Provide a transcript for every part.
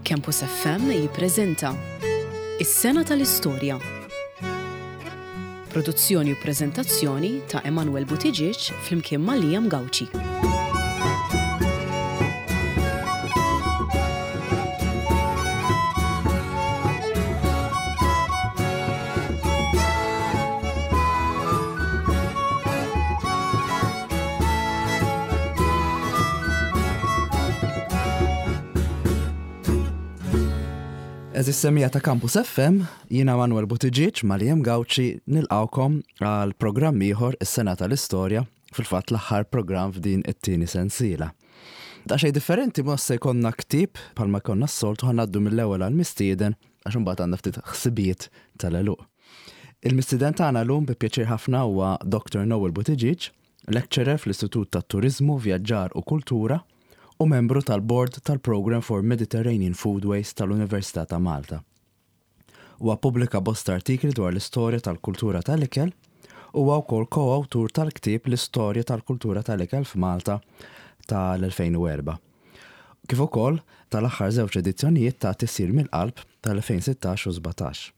Campus FM jippreżenta Is-Sena tal-Istorja. Produzzjoni u preżentazzjoni ta' Emanuel Buttigieg flimkien ma' Liam Gauci. Eżis semija ta' Campus FM, jiena Manuel Buttigieg ma' Liam Gauci nilqawkom għal programm ieħor is-sena tal-istorja, fil-fatt l-aħħar programm f'din it-tieni sensiela. Daqsxejn differenti ma se jkollna ktieb bħalma jkollna s-soltu ħa ngħaddu mill-ewwel għall-mistieden għax imbagħad għandna ftit ħsibijiet tal-għeluq. Il-mistieden tagħna llum bi pjaċir ħafna huwa Dr. Noel Buttigieg, lecturer fl-Istitut tat-Turiżmu, Vjaġġar u Kultura u membru tal-Bord tal-Programme for Mediterranean Foodways tal-Università ta' Malta. Huwa ppubblika bosta artikli dwar l-istorja tal-kultura tal-ikel u huwa wkoll ko-awtur tal-ktieb L-Istorja tal-Kultura tal-Ikel f'Malta tal-2004, kif ukoll tal-aħħar żewġ edizzjonijiet ta' Tisjir mill-Qalb tal-2016 u 17.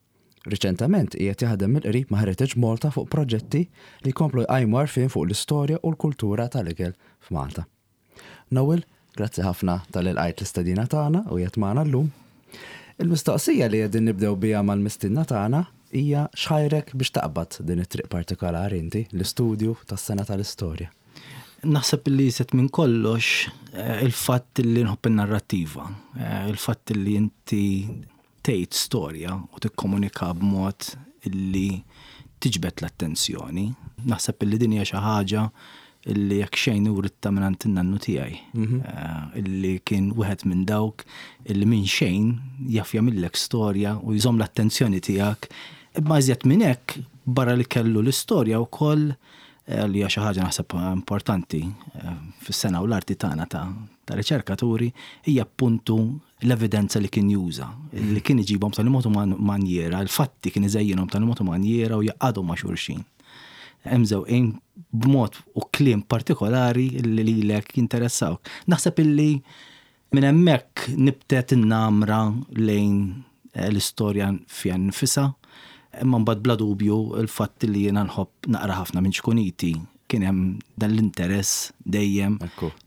Riċentement qiegħed jaħdem mill-qrib ma' Heritage Malta fuq proġetti li jkomplu jqajmu għarfien fuq l-istorja u l-kultura tal-ikel f'Malta. Noel, grazzi ħafna talli lqajt l-istedina tagħna u qiegħed magħna llum. Il-mistoqsija li qegħdin nibdew biha mal-mistiedna tagħna hija x'ħajrek biex taqbad din it-triq partikolari inti, l-istudju tas-sena tal-istorja? Naħseb li iżjed minn kollox il-fatt li nħobb in-narrattiva, il-fatt li inti tgħid storja u tikkomunika b'mod illi tiġbed l-attenzjoni. Naħseb illi din hija xi ħaġa illi jekk xejn writtha mingħand in-nannu tiegħi. Illi kien wieħed minn dawk illi minn xejn jaf jagħmillek storja u jżomm l-attenzjoni tiegħek. Imma iżjed minn hekk, barra li kellu l-istorja wkoll li hija xi ħaġa naħseb importanti fis-sena u l-arti tagħna ta' riċerkaturi, hija appuntu l-evidenza li kien juża, li kien iġibhom b'tali mod u manjiera, il-fatti kien iżejjinhom b'tali mod u manjiera u jgħaqqadhom ma' xulxin. Hemm żewqin b'mod u kliem partikolari li lilek jinteressawk. Naħseb illi minn hemmhekk nibtet in-namra lejn l-istorja fiha nnifisha, imma mbagħad bla dubju l-fatt li jiena nħobb naqra ħafna minn ċkuniti kien hemm dan l-interess dejjem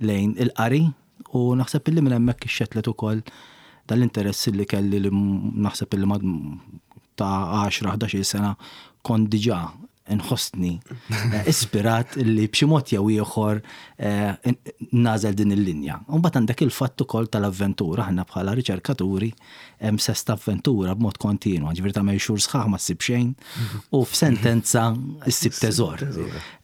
lejn il-qari. U naħseb illi minn hemmhekk ixxettlet ukoll dan l-interess illi kelli li naħseb illi mad ta' 10-11 sena kont diġà nħossni eh, ispirat illi b'xi mod jew ieħor eh, nażel din il-linja. U mbagħad għandek il-fatt ukoll tal-avventura, aħna bħala riċerkaturi hemm sens ta' avventura b'mod kontinwu, ġifieri tagħmel xhur sħaħ ma ssib xejn u f'sentenza ssib teżor.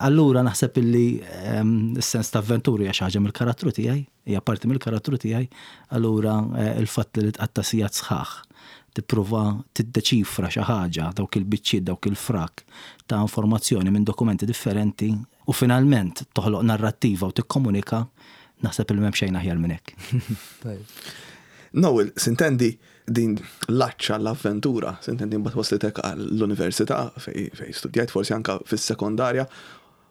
Allura naħseb illi ehm, s-sens ta' avventura hija xi ħaġa mill-karattru tiegħi, hija parti mill-karattru tiegħi, allura eh, il-fatt li tqatta' sigħat sħaħ tipprova tiddeċifra xi ħaġa, dawk il-biċċiet, dawk il-frak ta' informazzjoni minn dokumenti differenti u finalment toħloq narrattiva u tikkomunika, naħseb li m'hemm xejn aħjar minn hekk. Noel, sintendi din l-għatx għall-avventura, sintendi mbagħad waslitek għall-università fejn studjajt forsi anka fis-sekondarja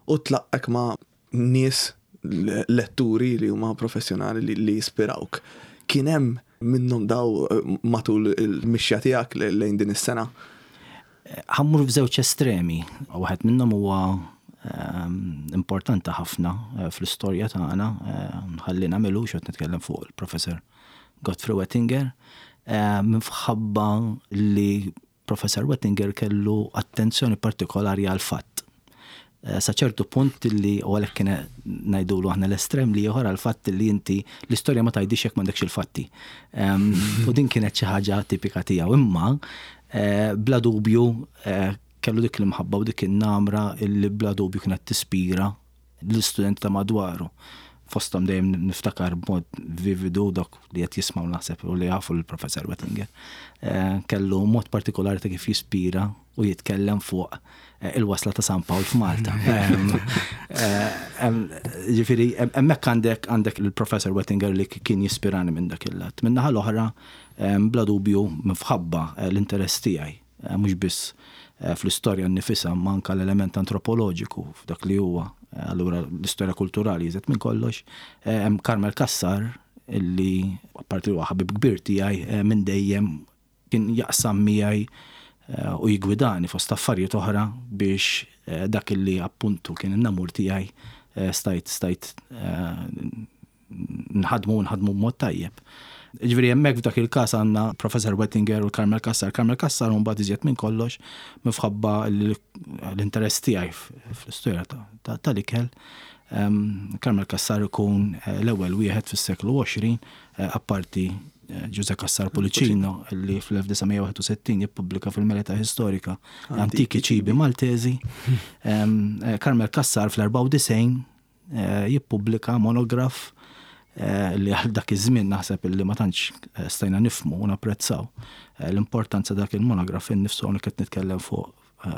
u tlaqqek ma' nies letturi li huma professjonali li jispirawk. Kien hemm minnhom daw matul il-mixja tiegħek lejn din is-sena? Ħa mmur f'żewġ estremi. Waħed minnhom huwa ehm, importanti ħafna eh, fl-istorja tagħna, eh, ħalli nagħmelu x'qed nitkellem fuq il-Professor Godfrey Wettinger, eh, minħabba li Professor Wettinger kellu attenzjoni partikolari għal fatt. Eh, sa ċertu punt li u għalhekk kien ngħidulu aħna l-estrem li ieħor għal fatt li inti l-istorja ma tgħidix jekk m'għandekx il-fatti. Ehm, u din kienet xi ħaġa tipika tiegħu imma eh, bla dubju eh, kellu dik l-imħabba u dik in-namra li bla dubju kienet tispira l-istudenti ta' madwaru. Fosthom dejjem niftakar b'mod vividu dok li qed jismgħu naħseb u li jafu l-Professor Wettinger. Eh, kellu mod partikolari ta' kif jispira u jitkellem fuq eh, il-wasla ta' San Pawl f'Malta. Eh, ġifieri, hemmhekk għandek għandek il-Professor Wettinger li kien jispirani minn dak il-lat. Min-naħa l-oħra, bla dubju minħabba l-interess tiegħi mhux biss fl-istorja nnifisha imma anke l-element antropoloġiku f'dak li huwa allura l-istorja kulturali iżjed minn kollox. Hemm Carmel Cassar illi Apparti huwa ħabib kbir tiegħi minn dejjem kien jaqsam miegħi u jiggwidani fost affarijiet oħra biex dak illi appuntu kien in-namur tiegħi stajt stajt nħadmu u nħadmu b'mod tajjeb. Ġifieri hemmhekk f'dak il-każ għandna Professor Wettinger u Carmel Cassar. Carmel Cassar mbagħad iżjed minn kollox minħabba l-interess tiegħi fl-istorja tal-ikel. Carmel Cassar ikun l-ewwel wieħed fis-seklu 20 apparti Ġużè Cassar Pullicino li fl-1961 jippubblika fil-Merita Historica Antichi Cibi Maltesi. Carmel Cassar fl-94 jippubblika monograf li għal dak iż-żmien naħseb li ma tantx stajna nifhmu u napprezzaw l-importanza dak il-monograf innifsu hawnhekk qed nitkellem fuq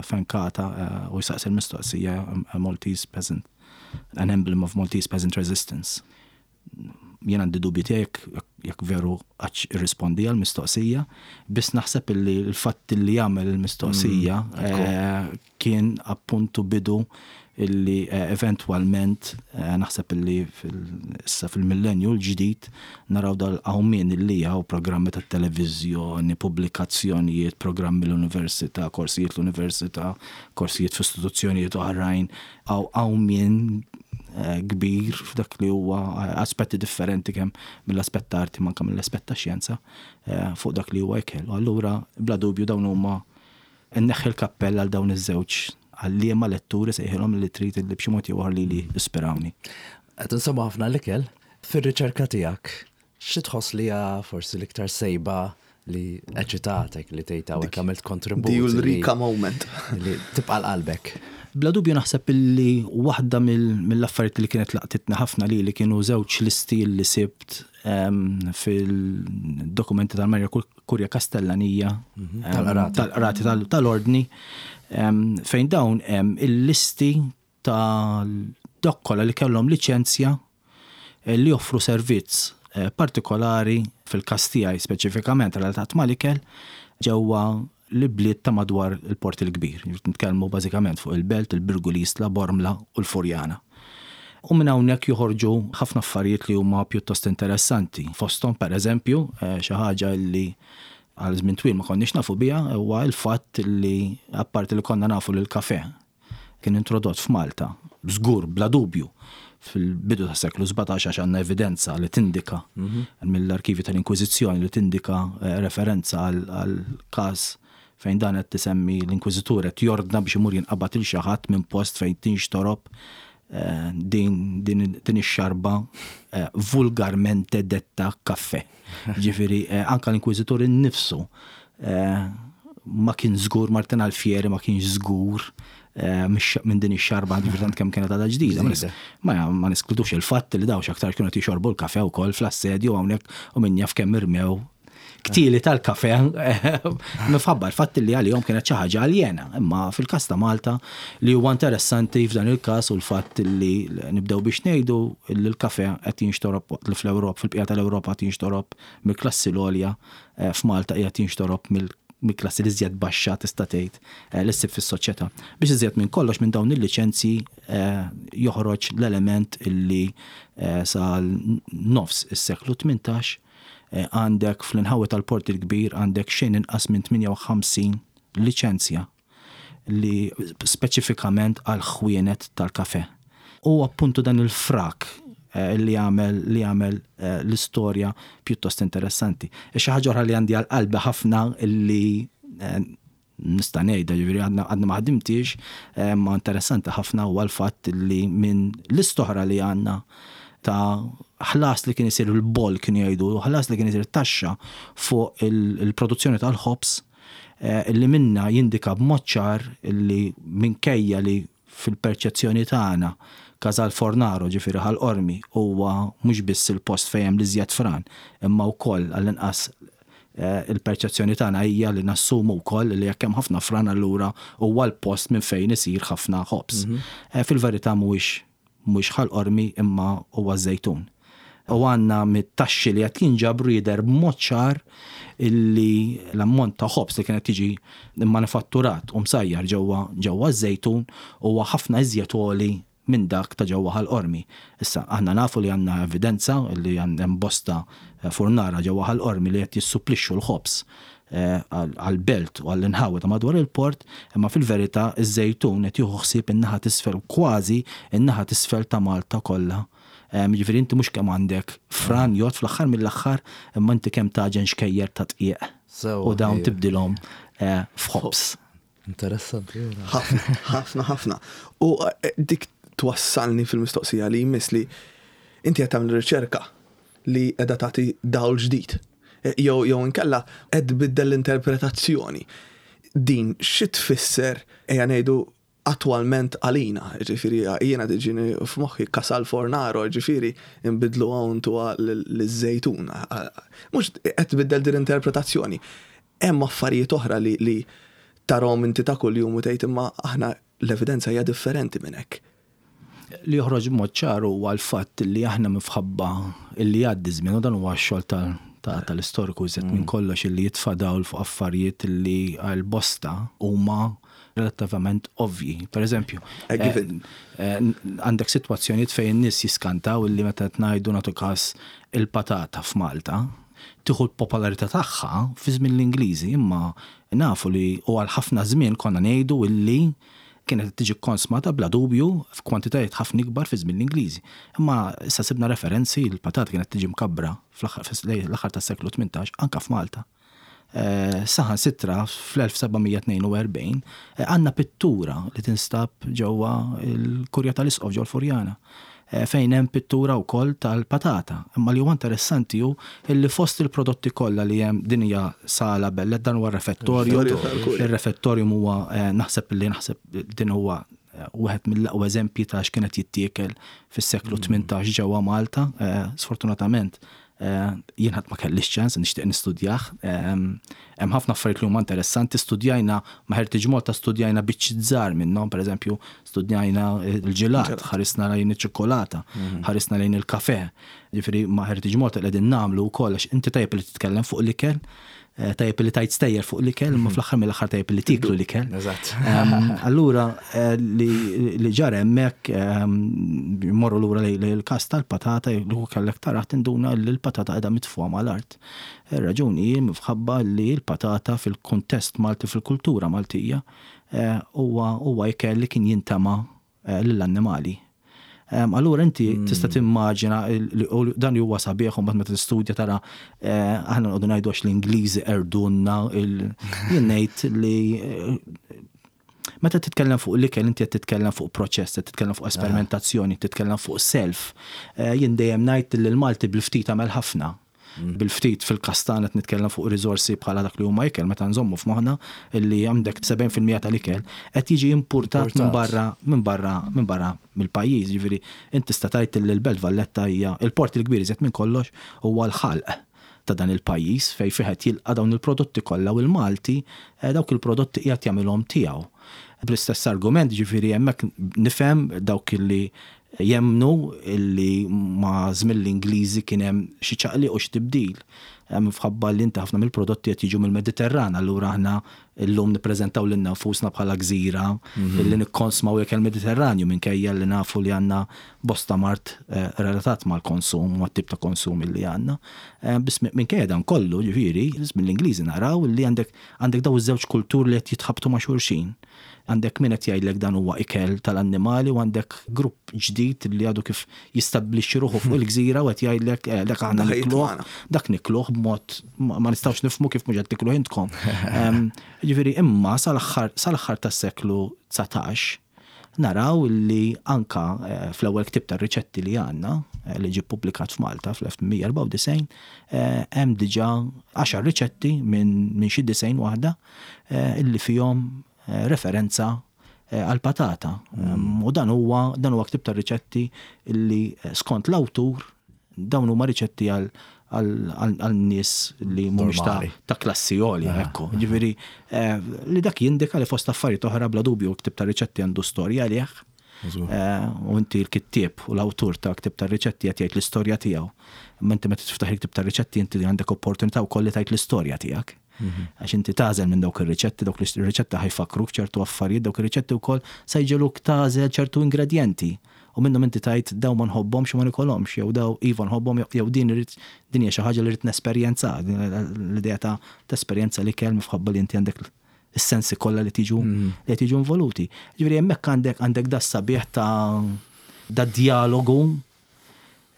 fenkata u jsaqsi l-mistoqsija Maltese Peasant, an emblem of Maltese Peasant Resistance. Jien għandi dubji tiegħi jekk jekk veru qattx irrispondi għall-mistoqsija, biss naħseb illi l-fatt illi għamel il-mistoqsija kien appuntu bidu illi eventwalment naħseb illi issa fil-millenju l-ġdid naraw dal-qawmien illi hawn programmi tat-televiżjoni, pubblikazzjonijiet, programmi l-università, korsijiet l-università, korsijiet f'istituzzjonijiet oħrajn, hawn qawmien kbir f'dak li huwa aspetti differenti kemm mill-aspett ta' arti ma anke mill-aspett ta' xjenza fuq dak li huwa ikel. U allura bla dubju dawn huma nneħħi l-kappell għal dawn iż-żewġ għalliema letturi sejħilhom li trid li b'xi mod jew ieħor lili ispirawni. Qed insemmu ħafna l-ikel, fir-riċerka tiegħek xi tħoss li hija forsi l-iktar sejba li eċitatek li tgħid hawnhekk għamilt kontribut. The Ulrika moment. Li tibqa' l-qalbek. Bla dubju naħseb illi waħda mill-affarijiet li kienet laqtitni ħafna lili kienu żewġ listi li sibt fil-dokumenti tal-Marja Kurja Kastellanija tal-Qrati tal-Ordni fejn dawn hemm il-listi ta' dawk kollha li kellhom liċenzja li joffru servizz partikolari, fil-każ tiegħi speċifikament relatat mal-ikel, ġewwa l-ibliet ta' madwar il-Port il-Kbir. Nitkellmu bażikament fuq il-Belt, il-Birgu, l-Isla, Bormla u l-Furjana. U minn hawnhekk joħorġu ħafna affarijiet li huma pjuttost interessanti. Fosthom, pereżempju, xi ħaġa li għal żmien twil ma konniex nafu biha huwa l-fatt li apparti li konna nafu li l-kafè kien introdott f'Malta, żgur, bla dubju, fil-bidu tas-seklu 17 għax għandna evidenza li tindika mill-arkivji tal-Inkwiżizzjoni li tindika referenza għal każ fejn dan qed tisemmi l-Inkwiżitur qed jordna biex imur jinqabad il xi ħadd minn post fejn tinxtorob din din ix-xarba vulgarmente detta caffè. Ġifieri anke l-Inkwiżitur innifsu ma kien żgur, Martin Alfieri ma kienx żgur minn din ix-xarba ġifieri tant kemm kienet għadha ġdida. Ma ma niskludux il-fatt li dawn x'aktar kienu qed jixorbu l-kafè wkoll fl-assedju hawnhekk u min jaf kemm irmew ktili tal-kafè minħabba l-fatt li għalihom kienet xi ħaġa aljena. Imma fil-każ ta' Malta li huwa interessanti f'dan il-każ u l-fatt li nibdew biex ngħidu li l-kafè qed jinxtorob waqt li fl-Ewropa, fil-bqija tal-Ewropa qed jinxtorob mill-klassi l-għolja, f'Malta qiegħed jinxtorob mill-klassi l-iżjed baxxa tista' tgħid li ssib fis-soċjetà. Biex iżjed minn kollox minn dawn il-liċenzji joħroġ l-element illi sa nofs is-seklu 18 għandek fl-inħawi tal-Port il-Kbir għandek xejn inqas minn 58 liċenzja li speċifikament għal ħwienet tal-kafè. U appuntu dan il-frak li jagħmel li jagħmel l-istorja pjuttost interessanti. Xi ħaġa oħra li għandi għal qalbi ħafna li nista' ngħidha, jiġifieri għadna ma ħdimtiex, imma interessanti ħafna huwa l-fatt li minn lista oħra li għandna ta' ħlas li kien isir il-boll kienu jgħidu, ħlas li kien isir taxxa fuq il-produzzjoni tal-ħobż li minnha jindika b'mod ċar li minkejja li fil-perċezzjoni tagħna Casal Fornaro, ġifieri Ħal Qormi, huwa mhux biss il-post fejn hemm l-iżjed fran, imma wkoll għall-inqas il-perċezzjoni tagħna hija li nassumu wkoll li jekk hemm ħafna fran allura huwa l-post minn fejn isir ħafna ħobż. Fil-verità mhuwiex mhuwiex Ħal Qormi imma huwa ż-Żejtun. U għandna mit-taxxi li qed jinġabru jidher b'mod ċar illi l-ammont ta' ħobż li kien qed jiġi mmanifatturat u msajjar ġewwa ġewwa ż-Żejtun huwa ħafna iżjed għoli minn dak ta' ġewwa Ħal Qormi. Issa, aħna nafu li għandna evidenza li hemm bosta furnara ġewwa Ħal Qormi li qed jissupplixxu l-ħobż għall-belt u għall-inħawi ta' madwar il-port, imma fil-verità ż-Żejtun qed jieħu ħsieb in-naħa t'isfel, kważi n-naħa t'isfel ta' Malta kollha. Jiġifieri inti mhux kemm għandek fran jgħodd fl-aħħar mill-aħħar, imma inti kemm tagħġen xkejjer ta' dqiq u dawn tibdilhom f'ħobż. Interessanti. Ħafna, ħafna, ħafna. U eh, dik twassalni fil-mistoqsija li jmiss li inti qed tagħmel riċerka li qiegħda tagħti dawl ġdid. Eh, jew jew inkella qed tbiddel l-interpretazzjoni. Din xi tfisser ejja ngħidu attwalment għalina, ġifieri jiena tiġini f'moħħi Casal Fornaro, ġifieri nbidlu hawn tuha liż-żejtun. Mhux qed tbiddel din l-interpretazzjoni. Hemm affarijiet oħra li li tarahom inti ta' kuljum u tgħid imma aħna l-evidenza hija differenti minn hekk. Li joħroġ b'mod ċar huwa l-fatt li aħna minfħabba li jgħaddi ż-żmien u dan huwa x-xogħol tal-istoriku iżjed minn kollox illi jitfa' dawl fuq affarijiet li għal bosta huma relattivament ovvji. Per eżempju, għandek sitwazzjonijiet fejn in-nies jiskantaw illi meta qed ngħidu nagħtu każ il-patata f'Malta, tieħu l-popolarità tagħha fi żmien l-Ingliżi, imma nafu li u għal ħafna żmien konna ngħidu illi kienet qed tiġi kkonsmata bla dubju f'kwantitajiet ħafna ikbar fi żmien l-Ingliżi. Imma issa sibna referenzi li l-patata kienet tiġi mkabbra fl-aħħar tas-seklu 18 anke f'Malta. Saħansitra fl-1742 għandna pittura li tinstab ġewwa l-Kurja tal-Isqof ġewwa l-Furjana fejn hemm pittura wkoll tal-patata. Imma li huwa interessanti hu li fost il-prodotti kollha li hemm din hija sala bella dan huwa r-refettorju. Ir-refettorium huwa naħseb li naħseb din huwa wieħed mill-aqwa eżempji ta' x'kienet jittiekel fis-seklu 18 ġewwa Malta. Sfortunatament Jien ħadd ma kellix ċans nixtieq nistudjah. Hemm ħafna affarijiet li huma interessanti, studjajna ma' Heritage Malta studjajna biċċiet żgħar minnhom, pereżempju studjajna l-ġilat, ħarisna lejn iċ-ċikkulata, ħarisna lejn il-kafè. Jiġifieri ma' Heritage Malta li qegħdin nagħmlu wkoll għax inti tajjeb li titkellem fuq l-ikel, tajjeb li tajt stejjer fuq l-ikel, imma fl-aħħar mill-aħħar tajjeb li tiklu l-ikel. Allura li ġara hemmhekk morru lura lejn il-każ tal-patata li kellek taraħ tinduna li l-patata qiegħda mitfugħa mal-art. Ir-raġuni hi minħabba li l-patata fil-kuntest Malti fil-kultura Maltija huwa ikel li kien jintema' lill-annimali. Allura inti tista' timmaġina dan li huwa sabiħ u mbagħad meta tistudja tara aħna noqogħdu ngħidu għax l-Ingliżi qerdulna jien ngħid li meta titkellem fuq l-ikel inti qed titkellem fuq proċess, qed titkellem fuq esperimentazzjoni, titkellem fuq self. Jien dejjem ngħid li l-Malti bil-ftit għamel ħafna. Bil-ftit fil-każ tagħna qed nitkellem fuq riżorsi bħala dak li huma ikel meta nżommu f'moħħna li għandek 70% tal-ikel qed jiġi impurtat minn barra minn barra minn barra mill-pajjiż. Jiġifieri int tista' tgħid li l-Belt Valletta hija il-port il-kbir iżjed minn kollox huwa l-ħalq ta' dan il-pajjiż fejn fih qed jilqa' dawn il-prodotti kollha u l-Malti dawk il-prodotti qiegħed jagħmilhom tiegħu. Bl-istess argument jiġifieri hemmhekk nifhem dawk li Jemmnu li ma' żmien l-Ingliżi kien hemm xi ċaqliq u xi tibdil. Minħabba li inti ħafna mill-prodotti qed jiġu mill-Mediterran, allura aħna llum nippreżentaw lilna nfusna bħala gżira li nikkonsmaw ikel Mediterranju minkejja li nafu li għandna bosta mard relatat mal-konsum u mat-tip ta' konsum li għandna. Biss minkejja dan kollu, ġifieri, żmien l-Ingliżi naraw li għandek għandek dawn iż-żewġ kulturi li qed jitħabtu ma' xulxin. Għandek min qed jgħidlek dan huwa ikel tal-annimali u għandek grupp ġdid li għadu kif jistabbilixxi ruħu fuq il-gżira u qed jgħidlek eh, dak aħna nikluh, dak nikluh b'mod ma nistgħux nifhmu kif mhux qed tikluh intkom. Ġifieri imma sal-aħħar tas-seklu 19 naraw li anka eh, fl-ewwel ktieb tar-riċetti li għandna eh, li ġie ppubblikat f'Malta fl-1894 hemm diġà għaxar riċetti minn xi disgħin waħda illi fihom referenza għall-patata. U dan huwa dan huwa ktieb ta' riċetti illi skont l-awtur dawn huma riċetti għal għal nies li mhumiex ta', ta' klassi għolja, ekku. Ġifieri li dak jindika li fost affarijiet oħra bla dubju ktieb ta' riċetti għandu storja għalih. U inti l-kittieb u l-awtur ta' ktieb ta' riċetti qed jgħid l-istorja tiegħu. Imma inti meta tiftaħ il-ktieb ta' riċetti inti għandek opportunità wkoll li tgħid l-istorja tiegħek. Għax inti tagħżel minn dawk ir-riċetti, dawk ir-riċetti ħa jfakkruk ċertu affarijiet, dawk ir-riċetti wkoll se jġegħluk tagħżel ċertu ingredjenti. U minnhom inti tgħid daw ma nħobbhomx u ma nikolhomx, jew daw iva nħobbhom jew din irrid din hija xi ħaġa li rrid nesperjenza, l-idea ta' tesperjenza l-ikel minħabba li inti għandek is-sensi kollha li tiġu li qed jiġu involuti. Ġifieri hemmhekk għandek għandek da sabiħ ta' da dialogu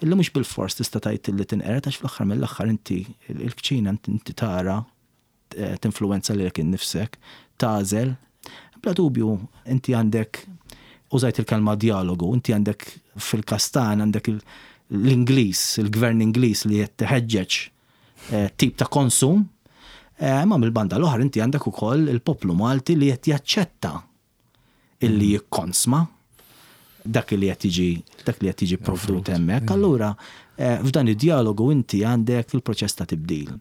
illi mhux bilfors tista' tgħid li tinqered għax fl-aħħar mill-aħħar inti il-kċina inti tara tinfluwenza lilek innifsek, tagħżel. Bla dubju inti għandek użajt il-kelma dialogu, inti għandek fil-każ tagħna għandek l-Ingliż, il-gvern Ingliż li qed iħeġġeġ tip ta' konsum, imma mill-banda l-oħra inti għandek ukoll il-poplu Malti li qed jaċċetta illi jikkonsma dak li qed jiġi dak li qed jiġi provdut hemmhekk. Allura f'dan id-dialogu inti għandek il-proċess ta' tibdil.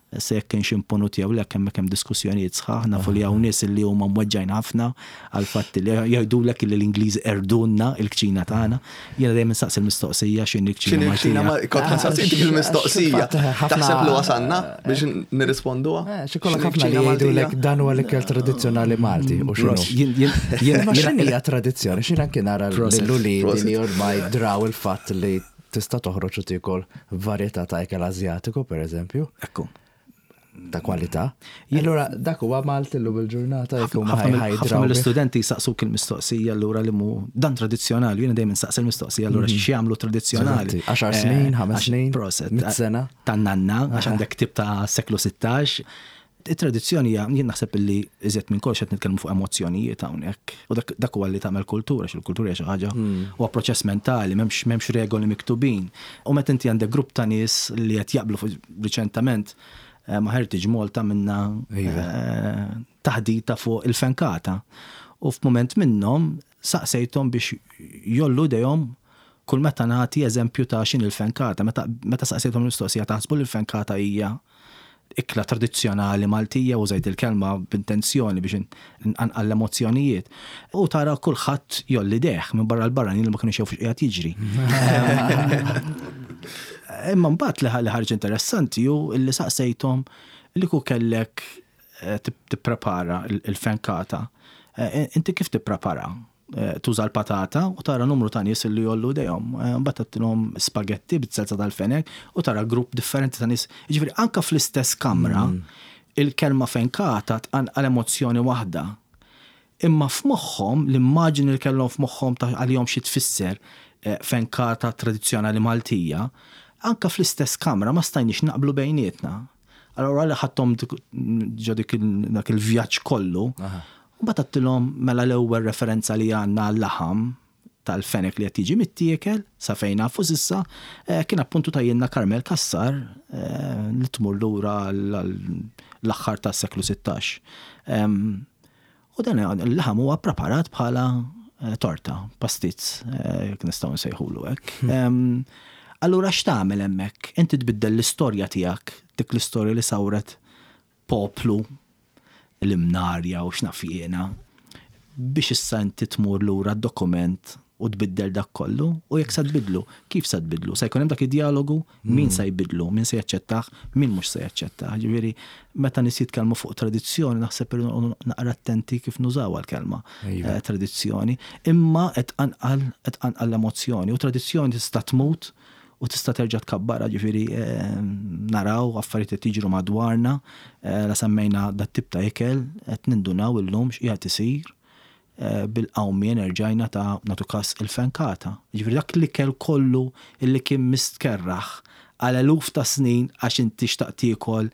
Se jekk kienx imponut jew le hemmhekk hemm diskussjonijiet sħaħ, nafu li hawn nies li huma mweġġajn ħafna għal fatt li jgħidulek li l-Ingliż erdunna il-kċina tagħna. Jiena dejjem insaqsi l-mistoqsija x'inhi l-kċina Maltija. Kont ħansaqsi dik il-mistoqsija. Taħseb li wasalna biex nirrisponduha? Xi kollok ħafna li jgħidulek dan huwa l-ikel tradizzjonali Malti u x'inhu. Ma x'inhi hija tradizzjoni, x'inhi anke nara lil uliedi li ormai draw il-fatt li tista' toħroġ u tiekol varjetà ta' ikel Asjatiku, pereżempju. Ekku. Ta' kwalità. Allura dak huwa Malti llum il-ġurnata jekk huma Ħafna mill-istudenti jsaqsuk il-mistoqsija allura li mu dan tradizzjonali, jiena dejjem insaqsi il-mistoqsija allura x'jagħmlu tradizzjonali. 10 snin, 5 snin, 100 sena. Tan-nanna, għax għandek tip ta' seklu 16. It-tradizzjoni hija, jien naħseb illi iżjed minn kollox qed nitkellmu fuq emozzjonijiet hawnhekk. U dak huwa li tagħmel kultura, xi l-kultura hija xi ħaġa huwa proċess mentali, m'hemmx regoli miktubin. U meta inti għandek grupp ta' nies li qed jaqblu fuq riċentament ma' Heritage Malta minna taħdita fuq il-fenkata. U f'mument minnhom saqsejthom biex jollu dejhom kull meta nagħti eżempju ta' x'inhi l-fenkata. Meta saqsejthom il-mistoqsija taħsbu li l-fenkata hija ikla tradizzjonali Maltija, użajt il-kelma b'intenzjoni biex nqanqal l-emozzjonijiet. U tara kulħadd jolli deħ minn barra l-barranin li ma kienux jafu x'qiegħed jiġri. Imma mbagħad li ħarġ interessanti hu li saqsejthom li ku kellek tipprepara il-fenkata. Inti kif tipprepara? Tuża l-patata u tara numru ta' nies li jollu dejhom. Mbagħad tagħtilhom spagetti bit-selza tal-fenek u tara grupp differenti ta' nies. Jiġifieri anke fl-istess kamra il-kelma fenkata tqanqal emozzjoni waħda. Imma f'moħħhom l-immaġini li kellhom f'moħħhom ta' għalihom xi tfisser fenkata tradizzjonali Maltija, anke fl-istess kamra ma stajniex naqblu bejnietna. Allora li ħadthom ġo dak il-vjaġġ kollu, u mbagħad għedtilhom mela l-ewwel referenza li għandna għal-laħam tal-fenek li qed jiġi mittiekel sa fejn nafu s'issa kien appuntu ta' Jenna Carmel Cassar li tmur lura l-aħħar tas-seklu 16. U dan il-laħam huwa preparat bħala torta, pastizz, jekk nistgħu nsejħulu hekk. Allura x'tagħmel hemmhekk? Inti tbiddel l-istorja tiegħek, dik l-istorja li sawret poplu l-imnarja u x'naf jiena, biex issa inti tmur lura d-dokument u tbiddel dak kollu, u jekk sa tbidlu, kif sa tbidlu? Sa jkun hemm dak id-dialogu, min sa jbidlu, min se jaċċettah, min mhux se jaċċettah. Ġifieri, meta nies jitkellmu fuq tradizzjoni, naħseb irridu naqra attenti kif nużawha l-kelma tradizzjoni, imma qed tqanqal qed tqanqal l-emozzjoni u tradizzjoni tista' tmut u tista' terġa' tkabbarha, ġifieri naraw affarijiet qed jiġru madwarna, la semmejna dat tip ta' ikel qed nindunaw illum x'qiegħed isir bil-qawmien erġajna ta' nagħtu każ il-fenkata. Ġifieri dak l-ikel kollu illi kien mistkerraħ għal eluf ta' snin għax inti xtaqt tiekol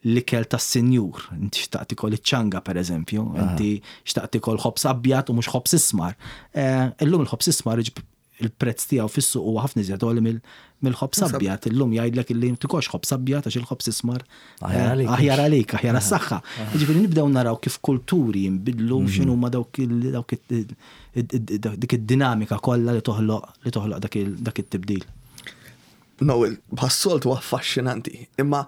l-ikel tas-sinjur, inti xtaqt tiekol iċ-ċanga pereżempju, inti xtaqt tiekol ħobż abjad u mhux ħobż ismar. Illum il-ħobż ismar il-prezz tiegħu fis-suq huwa ħafna iżjed għoli mill-ħobż abjad. Illum jgħidlek illi tikolx ħobż abjad għax il-ħobż ismar aħjar għalik, aħjar għas-saħħa. Jiġifieri nibdew naraw kif kulturi jinbidlu, x'inhuma dawk dik id-dinamika kollha li toħloq li toħloq dak it-tibdil. Noel, bħas-soltu affaxxinanti, imma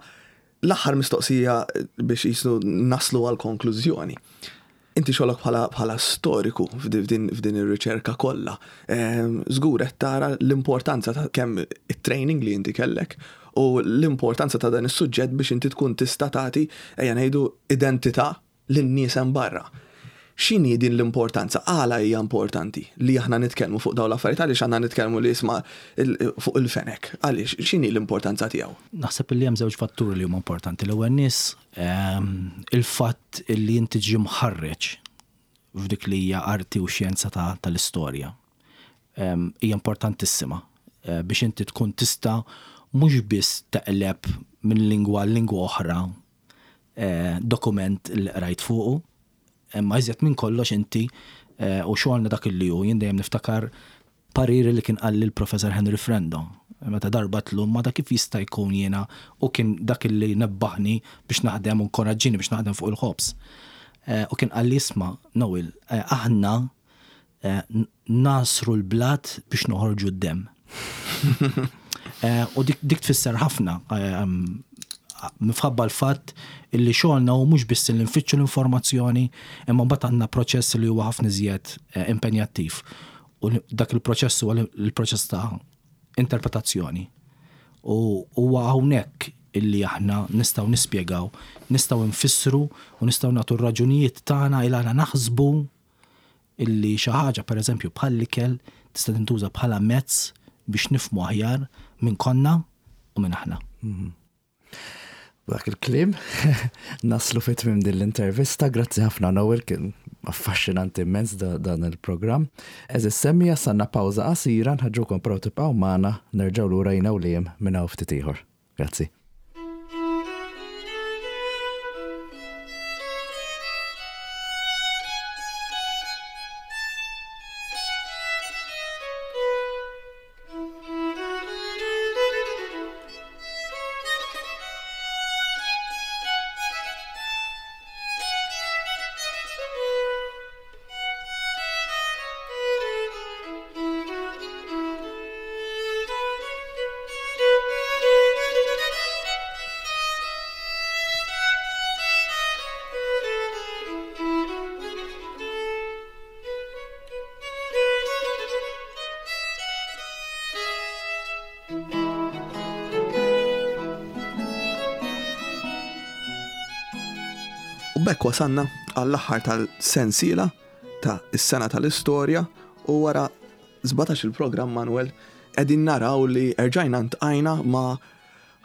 l-aħħar mistoqsija biex jisnu naslu għal konklużjoni. Inti xogħlok bħala storiku f'din ir-riċerka kollha. Żgur qed tara l-importanza ta' kemm it-training li inti kellek u l-importanza ta' dan is-suġġett biex inti tkun tista' tagħti ejja ngħidu identità lin-nies hemm barra. X'inhi din l-importanza? Għala hija importanti li aħna nitkellmu fuq dawn l-affarijiet? Għaliex għandna nitkellmu li isma' fuq il-fenek? Għaliex? X'inhi l-importanza tiegħu? Naħseb li hemm żewġ fatturi li huma importanti. L-ewwel nies il-fatt li inti tiġi mħarreġ f'dik li hija arti u xjenza tal-istorja hija importantissima biex inti tkun tista' mhux biss teqleb minn lingwa għal lingwa oħra dokument li qrajt fuqu, imma iżjed minn kollox inti u xogħolna dak li hu, jien dejjem niftakar pariri li kien qalli l-Professor Henry Frendo meta darba għedtlu imma da kif jista' jkun jiena u kien dak li nebbaħni biex naħdem u nkoraġġini biex naħdem fuq il-ħobż. U kien qalli isma' Noel, aħna Nagħsru l-blat biex noħorġu d-demm. U dik tfisser ħafna minħabba l-fatt illi xogħolna hu mhux biss li nfittxu l-informazzjoni, imma mbagħad għandna proċess li huwa ħafna iżjed impenjattiv. U dak il-proċess huwa l-proċess ta' interpretazzjoni. U huwa hawnhekk illi aħna nistgħu nispjegaw, nistgħu nfissru u nistgħu nagħtu r-raġunijiet tagħna il għala naħsbu illi xi ħaġa pereżempju bħall-ikel tista' tintuża bħala mezz biex nifhmu aħjar min konna u min aħna. B'dak il-kliem naslu fi tmiem din l-intervista. Grazzi ħafna Noel, kien affaxxinanti immens dan il-programm. Għeżież semmiegħa sanna pawża qasira nħeġġukom però tibqgħu magħna nerġgħu lura jiena u Liam minn hawn ftit ieħor. Grazzi. U b'hekk wasalna għall-aħħar tal-sensiela ta' is-sena tal-istorja u wara 17 il-programm Manuel qegħdin naraw li erġajna ntqajna ma'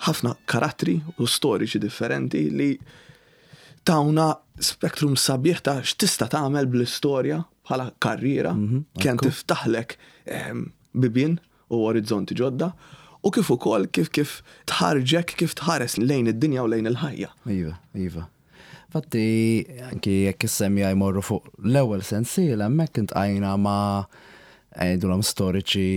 ħafna karattri u storiċi differenti li tawna spektrum sabiħ ta' x'tista' tagħmel bl-istorja bħala karriera, kemm tiftaħlek bibien u orizzonti ġodda u kif ukoll kif kif tħarrġek kif tħares lejn id-dinja u lejn il-ħajja. Iva, iva. Infatti, anki jekk is-semja jmorru fuq l-ewwel sensiela, hemmhekk intqajna ma' ngħidulhom storiċi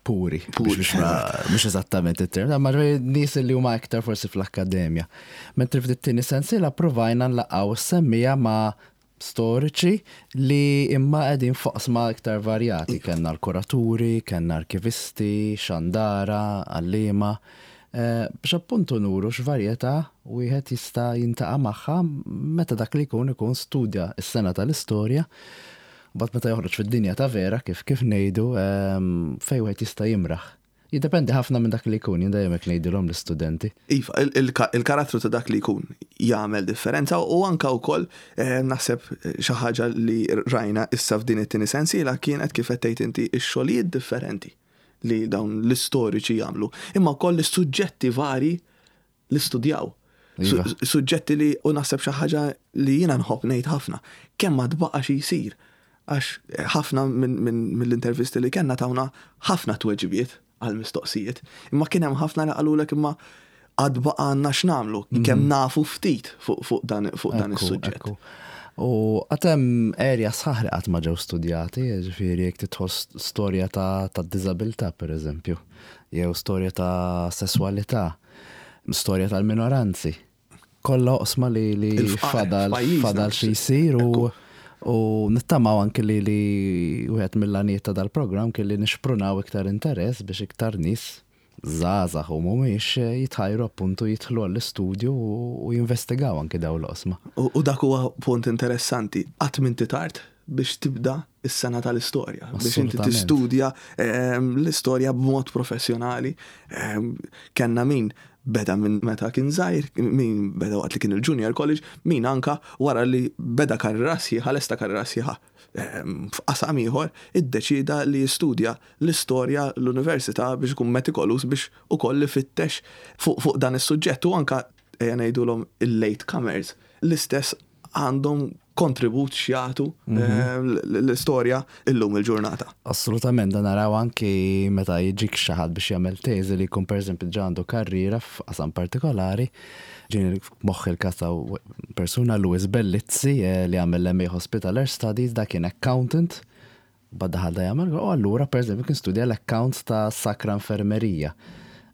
puri. Puri. Mhux eżattament it-term, ma nies li huma iktar forsi fl-akkademja. Mentri f'dit-tieni sensiela provajna nlaqgħu s-semmija ma' storiċi li imma qegħdin f'oqsma iktar varjati. Kellna l-kuraturi, kellna arkivisti, xandara, għalliema, biex appuntu nuru x'varjetà wieħed jista' jintaqa' magħha meta dak li jkun ikun studja s-sena tal-istorja, mbagħad meta joħroġ fid-dinja ta' vera kif kif ngħidu fejn wieħed jista' jimraħ. Jiddependi ħafna minn dak li jkun, jien dejjem hekk ngħidilhom l-istudenti. Iva, il-karattru ta' dak li jkun jagħmel differenza u anke wkoll naħseb xi ħaġa li rajna issa f'din it-tieni sensiela kienet kif qed tgħid inti x-xogħlijiet differenti li dawn l-istoriċi jagħmlu, imma wkoll is-suġġetti vari li studjaw. Iva. Suġġetti li u naħseb xi ħaġa li jiena nħobb ngħid ħafna, kemm ma tbaqa' xi jsir. Għax ħafna mill-intervisti li kellna tawna ħafna tweġibiet għal mistoqsijiet. Imma kien hemm ħafna li qalulek imma għad baqa' għandna x'nagħmlu, kemm nafu ftit fuq dan is-suġġett. U għad hemm area sħaħ li qatt ma ġew studjati, jiġifieri jekk tidħol storja ta' diżabilità pereżempju, jew storja ta' sesswalità. Storja tal-minoranzi. Kollha oqsma li li fadal fadal xi jsir u u nittamaw anki li li wieħed mill-għanijiet ta' dal-programm kien li nixprunaw iktar interess biex iktar nies żgħażagħ u mhumiex jitħajru appuntu jidħlu għall-istudju u jinvestigaw anki dawn l-oqsma. U dak huwa punt interessanti. Qatt m'inti tard biex tibda s-sena tal-istorja, biex inti tistudja ehm, l-istorja b'mod professjonali. Ehm, kenna min beda minn meta kien żgħir, min beda waqt li kien il-junior college, min anka wara li beda karriera sħiħa, lesta karriera sħiħa f'qasam ieħor, iddeċieda li jistudja l-istorja l-università biex ikun metikolus biex ukoll ifittex fuq dan is-suġġett u anka ejja ngħidulhom il-late comers l-istess għandhom kontribut x'jagħtu l-istorja illum il-ġurnata. Assolutament, dan naraw anki meta jiġik xi ħadd biex jagħmel teżi li jkun pereżempju ġa għandu karriera f'qasam partikolari. Ġieni f'moħħi l-każ ta' persuna Louis Bellizzi li għamel l-MA Hospitaller Studies, dak kien accountant Mbagħad daħal da jagħmel, u allura pereżempju kien studja l-accounts ta' Sacra Infermerija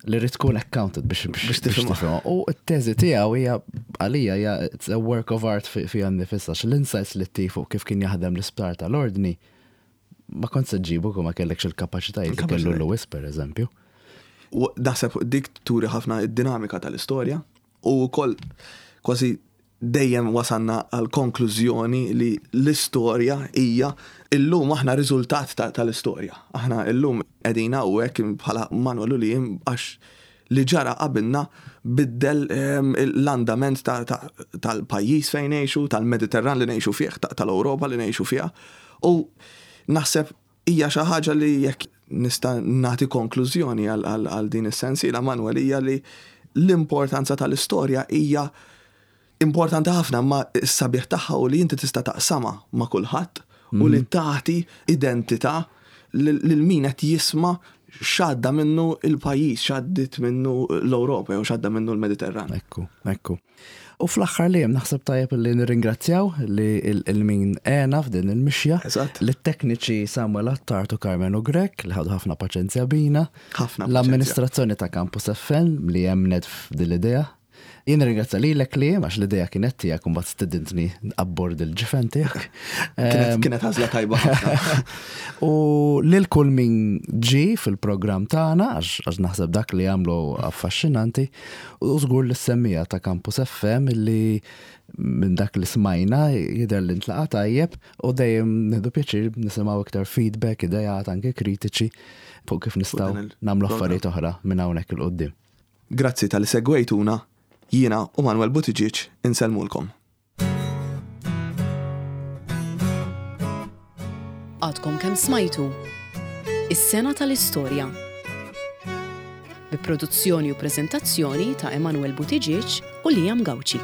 li rrid tkun accountant biex biex tifhimha. U t-teżi tiegħu hija għalija hija it's a work of art fiha nnifisha l-insights li ttif fuq kif kien jaħdem l-isptar tal-Ordni ma kont se ġġibu kieku ma kellekx il-kapaċitajiet li kellu Lewis pereżempju. U naħseb dik turi ħafna id-dinamika tal-istorja u wkoll kważi dejjem wasalna għall-konklużjoni li l-istorja hija illum aħna riżultat tal-istorja. Aħna illum qegħdin hawnhekk bħala Manuel u Liam għax li ġara qabilna biddel l-andament tal-pajjiż fejn ngħixu, tal-Mediterran li ngħixu fih, tal-Ewropa li ngħixu fiha. U naħseb hija xi ħaġa li jekk nista' nagħti konklużjoni għal din is-sensiela Manuel hija li l-importanza tal-istorja hija importanti ħafna imma s-sabiħ tagħha u li inti tista' taqsamha ma' kulħadd u li tagħti identità lil min qed jisma' x'għadda minnu l-pajjiż, x'għaddiet minnu l-Ewropa jew x'għadda minnu l-Mediterran. Ekku, ekku. U fl-aħħar li naħseb tajjeb li nirringrazzjaw li il-min għena f'din il-mixja. Eżatt. Lit-tekniċi Samuel Attard u Carmenu Grech li ħadu ħafna paċenzja bina. Ħafna. L-amministrazzjoni ta' Campus FM li emmnet f'din l-idea. Jien nirringrazzja lilek li għax l-idea kienet tiegħek u mbagħad stidintni abbord il-ġifen tiegħek. Kienet għażla tajba ħafna. U lil kull min ġie fil-programm tagħna għax naħseb dak li għamlu affaxxinanti u żgur li s-semmija ta' Campus FM li minn dak li smajna jidher li ntlaqa' tajjeb u dejjem nieħdu pjaċir nisimgħu iktar feedback, ideat anke kritiċi fuq kif nistgħu nagħmlu affarijiet oħra minn hawnhekk 'il quddiem. Grazzi talli segwejtuna, jiena u Manuel Buttigieg insellmulkom. Għadkom kemm smajtu Is-Sena tal-Istorja bi produzzjoni u preżentazzjoni ta' Emanuel Buttigieg u Liam Gauci.